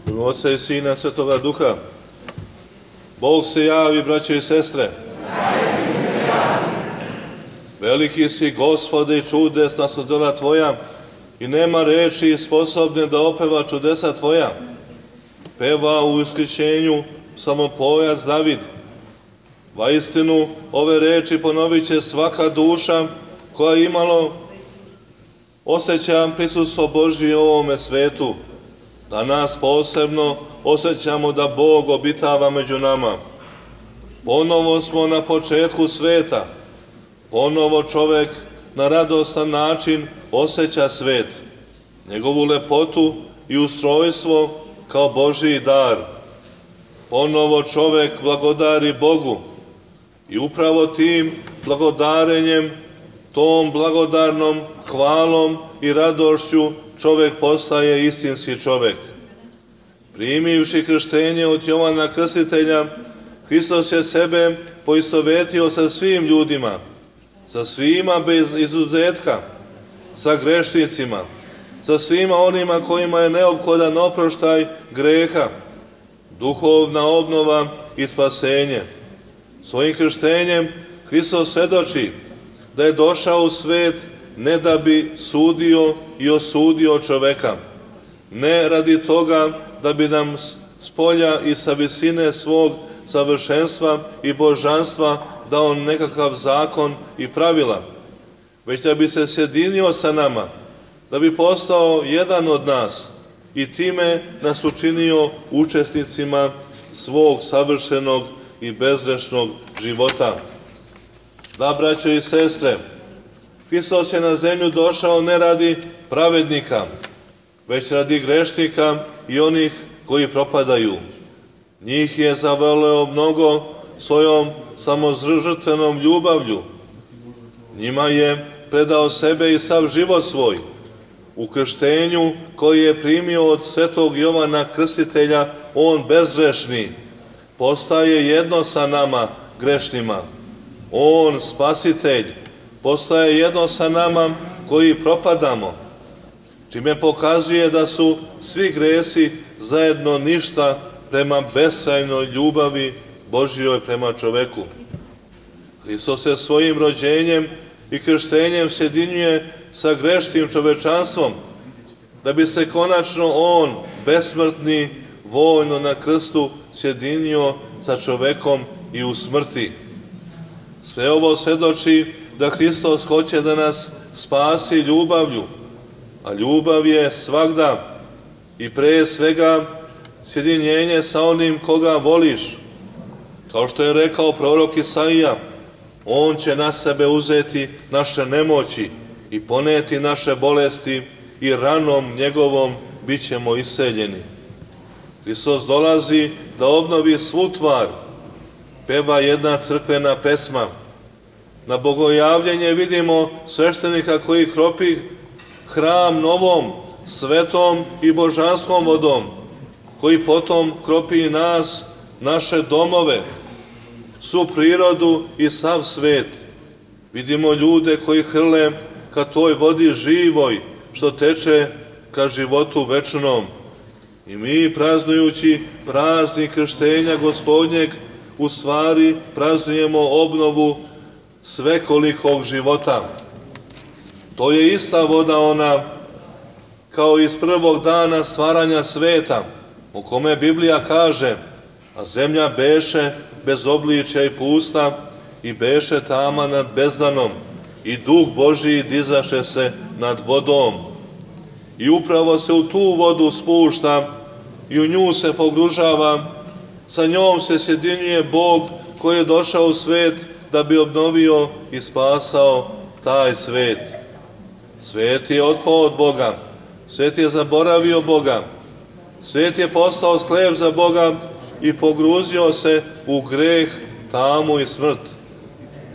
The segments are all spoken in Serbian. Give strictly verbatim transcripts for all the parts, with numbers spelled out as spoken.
U ime Oca i Sina i Svetoga Duha. Bog se javi, braćo i sestre. Veliki si, Gospode, i čudesna su dela Tvoja, i nema reči sposobne da opeva čudesa Tvoja. Peva u uskrićenju psalmopojac David. Vaistinu, ove reči ponovit će svaka duša koja imalo osjeća prisustvo Božije u ovome svetu. Danas posebno osjećamo da Bog obitava među nama. Ponovo smo na početku sveta. Ponovo čovek na radostan način osjeća svet, njegovu lepotu i ustrojstvo kao Božiji dar. Ponovo čovek blagodari Bogu i upravo tim blagodarenjem, tom blagodarnom hvalom i radošću čovek postaje istinski čovek. Primivši krštenje od Jovana Krstitelja, Hristos je sebe poistovetio sa svim ljudima, sa svima bez izuzetka, sa grešnicima, sa svima onima kojima je neophodan oproštaj greha, duhovna obnova i spasenje. Svojim krštenjem Hristos svedoči da je došao u svet ne da bi sudio i osudio čoveka, ne radi toga da bi nam s polja i sa visine svog savršenstva i božanstva dao nekakav zakon i pravila, već da bi se sjedinio sa nama, da bi postao jedan od nas i time nas učinio učesnicima svog savršenog i bezgrešnog života. Da, braćo i sestre, Hristos je na zemlju došao ne radi pravednika, već radi grešnika i onih koji propadaju. Njih je zavoleo mnogo svojom samozžrtvenom ljubavlju. Njima je predao sebe i sav život svoj. U krštenju koji je primio od svetog Jovana Krstitelja, on bezgrešni postaje jedno sa nama grešnima. On, spasitelj, postaje jedno sa nama koji propadamo, čime pokazuje da su svi gresi zajedno ništa prema beskrajnoj ljubavi Božjoj prema čoveku. Hristos se svojim rođenjem i krštenjem sjedinjuje sa grešnim čovečanstvom, da bi se konačno on, besmrtni, vojno na krstu sjedinio sa čovekom i u smrti. Sve ovo svedoči da Hristos hoće da nas spasi ljubavlju, a ljubav je svagda i pre svega sjedinjenje sa onim koga voliš. Kao što je rekao prorok Isaija, on će na sebe uzeti naše nemoći i poneti naše bolesti i ranom njegovom bit ćemo iseljeni. Hristos dolazi da obnovi svu tvar, peva jedna crkvena pesma. Na bogojavljenje vidimo sveštenika koji kropi hram novom, svetom i božanskom vodom, koji potom kropi nas, naše domove, svu prirodu i sav svet. Vidimo ljude koji hrle ka toj vodi živoj, što teče ka životu večnom. I mi, praznujući praznik krštenja Gospodnjeg, u stvari praznujemo obnovu svekolikog života. To je ista voda ona kao iz prvog dana stvaranja sveta, o kome Biblija kaže, a zemlja beše bez obličja i pusta i beše tama nad bezdanom i duh Božiji dizaše se nad vodom. I upravo se u tu vodu spušta i u nju se pogružava, sa njom se sjedinjuje Bog koji je došao u svet da bi obnovio i spasao taj svet. Svet je otpao od Boga, svet je zaboravio Boga, svet je postao slep za Boga i pogruzio se u greh, tamu i smrt.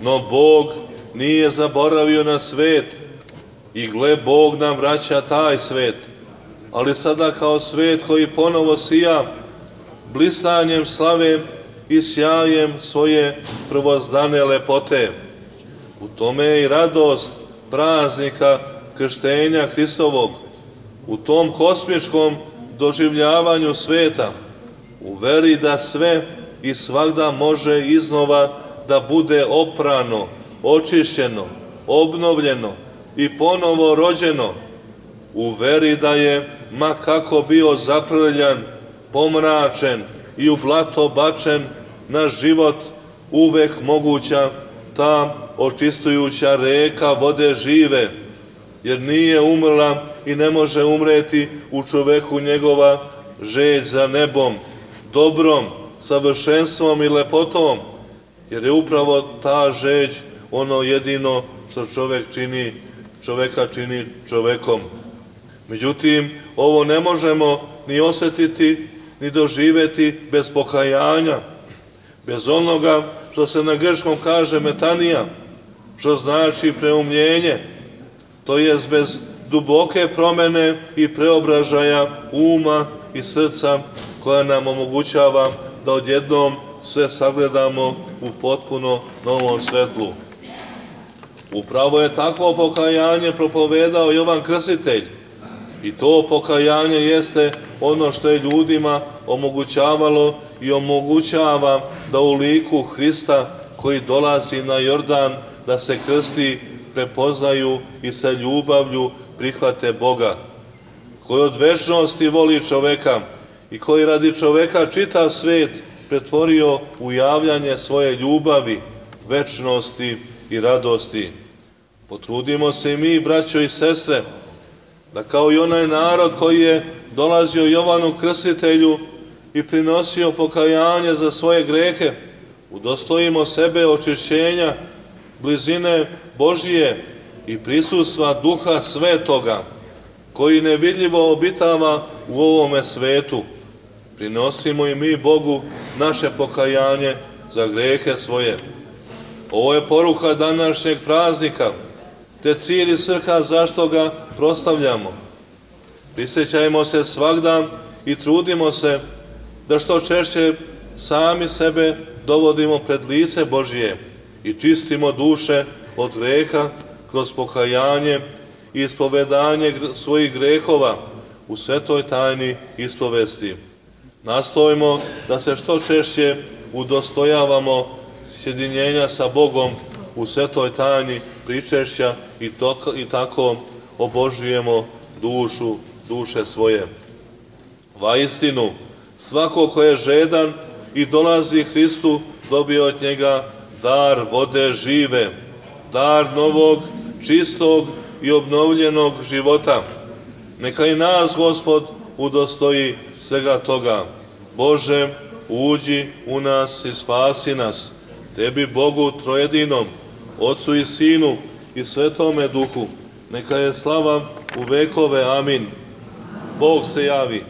No Bog nije zaboravio na svet i gle, Bog nam vraća taj svet, ali sada kao svet koji ponovo sija blistanjem slave i sjajem svoje prvozdane lepote. U tome je i radost praznika krštenja Hristovog. U tom kosmičkom doživljavanju sveta, u veri da sve i svagda može iznova da bude oprano, očišćeno, obnovljeno i ponovo rođeno, u veri da je, ma kako bio zaprljan, pomračen i u blato bačen, na život uvek moguća ta očistujuća reka vode žive, jer nije umrla i ne može umreti u čoveku njegova želj za nebom, dobrom, savršenstvom i lepotom, jer je upravo ta želj ono jedino što čovek čini, čoveka čini čovekom. Međutim, ovo ne možemo ni osjetiti, ni doživeti bez pokajanja, bez onoga što se na grčkom kaže metanija, što znači preumljenje, to jest bez duboke promene i preobražaja uma i srca koja nam omogućava da odjednom sve sagledamo u potpuno novom svetlu. Upravo je takvo pokajanje propovedao Jovan Krstitelj i to pokajanje jeste ono što je ljudima omogućavalo i omogućava da u liku Hrista koji dolazi na Jordan da se krsti prepoznaju i sa ljubavlju prihvate Boga, koji od večnosti voli čoveka i koji radi čoveka čitav svet pretvorio u javljanje svoje ljubavi, večnosti i radosti. Potrudimo se i mi, braćo i sestre, da kao i onaj narod koji je dolazio Jovanu Krstitelju i prinosio pokajanje za svoje grehe, udostojimo sebe očišćenja, blizine Božije i prisustva Duha Svetoga, koji nevidljivo obitava u ovome svetu. Prinosimo i mi Bogu naše pokajanje za grehe svoje. Ovo je poruka današnjeg praznika, te cilj i svrha zašto ga proslavljamo. Prisjećajmo se svagda i trudimo se da što češće sami sebe dovodimo pred lice Božije i čistimo duše od greha kroz pokajanje i ispovedanje svojih grehova u svetoj tajni ispovesti. Nastojimo da se što češće udostojavamo sjedinjenja sa Bogom u svetoj tajni pričešća i, to, i tako obožujemo dušu, duše svoje. Vaistinu, svako ko je žedan i dolazi Hristu, dobije od njega dar vode žive, dar novog, čistog i obnovljenog života. Neka i nas, Gospod, udostoji svega toga. Bože, uđi u nas i spasi nas. Tebi, Bogu trojedinom, Otcu i Sinu i Svetome Duhu, neka je slava u vekove. Amin. Bog se javi.